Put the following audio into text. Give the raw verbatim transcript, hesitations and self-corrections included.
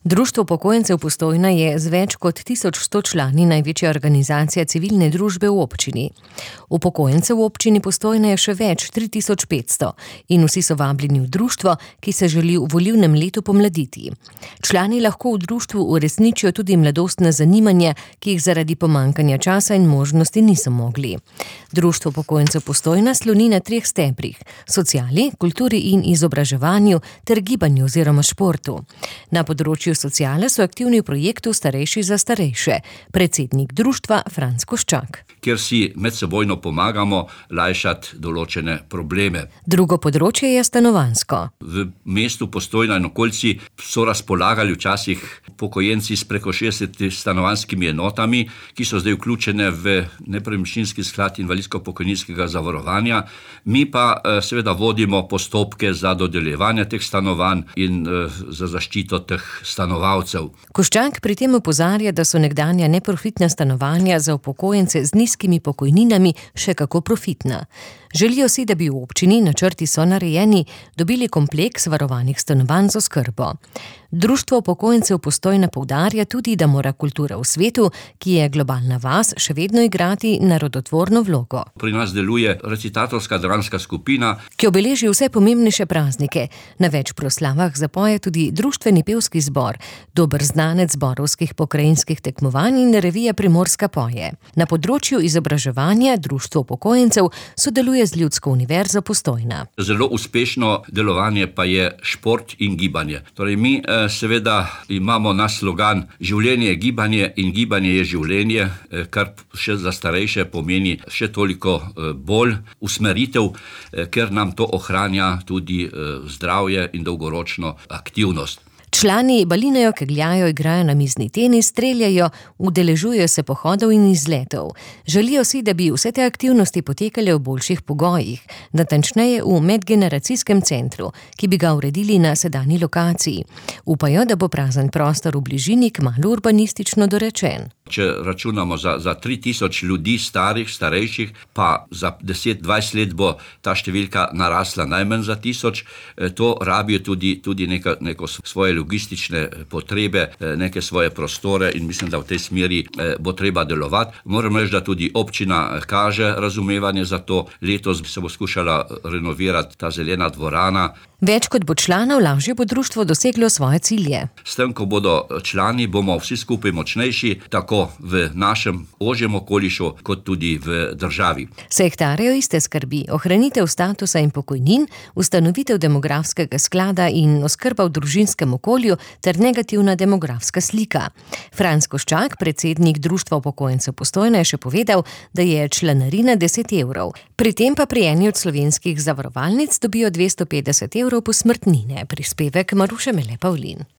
Društvo upokojencev Postojna je z več kot tisoč sto člani največja organizacija civilne družbe v občini. Upokojencev v občini Postojna je še več, tri tisoč petsto, in vsi so vabljeni v društvo, ki se želi v volilnem letu pomladiti. Člani lahko v društvu uresničijo tudi mladostna zanimanja, ki jih zaradi pomanjkanja časa in možnosti niso mogli. Društvo upokojencev Postojna sloni na treh stebrih: sociali, kulturi in izobraževanju ter gibanju oziroma športu. Na področju sociale so aktivni v projektu Starejši za starejše. Predsednik društva Franc Koščak. Kjer si medsebojno pomagamo lajšati določene probleme. Drugo področje je stanovanjsko. V mestu Postojna in okolici so razpolagali včasih upokojenci s preko šestdeset stanovanjskimi enotami, ki so zdaj vključene v nepremičninski sklad invalidsko-pokojninskega zavarovanja. Mi pa seveda vodimo postopke za dodeljevanje teh stanovanj in za zaščito teh stanovalcev. Koščak pri tem opozarja, da so nekdanja neprofitna stanovanja za upokojence z nizkimi pokojninami še kako profitna. Želijo si, da bi v občini, načrti so narejeni, dobili kompleks varovanih stanovanj z oskrbo. Društvo upokojencev Postojna poudarja tudi, da mora kultura v svetu, ki je globalna vas, še vedno igrati narodotvorno vlogo. Pri nas deluje recitatorska dramska skupina, ki obeleži vse pomembnejše praznike. Na več proslavah zapoje tudi društveni pevski zbor, dober znanec zborovskih pokrajinskih tekmovanj in revija Primorska poje. Na področju izobraževanja društvo upokojencev sodeluje z Ljudsko univerzo Postojna. Zelo uspešno delovanje pa je šport in gibanje. Torej mi seveda imamo naš slogan življenje je gibanje in gibanje je življenje, kar še za starejše pomeni še toliko bolj usmeritev, ker nam to ohranja tudi zdravje in dolgoročno aktivnost. Člani balinajo, kegljajo, igrajo namizni tenis, streljajo, udeležujejo se pohodov in izletov. Želijo si, da bi vse te aktivnosti potekale v boljših pogojih, natančneje v medgeneracijskem centru, ki bi ga uredili na sedanji lokaciji. Upajo, da bo prazen prostor v bližini kmalu urbanistično dorečen. Če računamo za, za tri tisoč ljudi starih, starejših, pa za deset dvajset let bo ta številka narasla najmanj za tisoč, to rabijo tudi, tudi neka, neko svoje logistične potrebe, neke svoje prostore in mislim, da v tej smeri bo treba delovati. Moram reči, da tudi občina kaže razumevanje za to. Letos se bo skušala renovirati ta zelena dvorana. Več kot bo članov, lažje bo društvo doseglo svoje cilje. S tem, ko bodo člani, bomo vsi skupaj močnejši, tako v našem ožjem okolišu, kot tudi v državi. Sektarjejo iste skrbi: ohranitev statusa in pokojnin, ustanovitev demografskega sklada in oskrba v družinskem okolju ter negativna demografska slika. Franc Koščak, predsednik društva upokojencev Postojna, je še povedal, da je članarina deset evrov. Pri tem pa pri eni od slovenskih zavarovalnic dobijo dvesto petdeset evrov posmrtnine. Prispevek Maruše Mele Pavlin.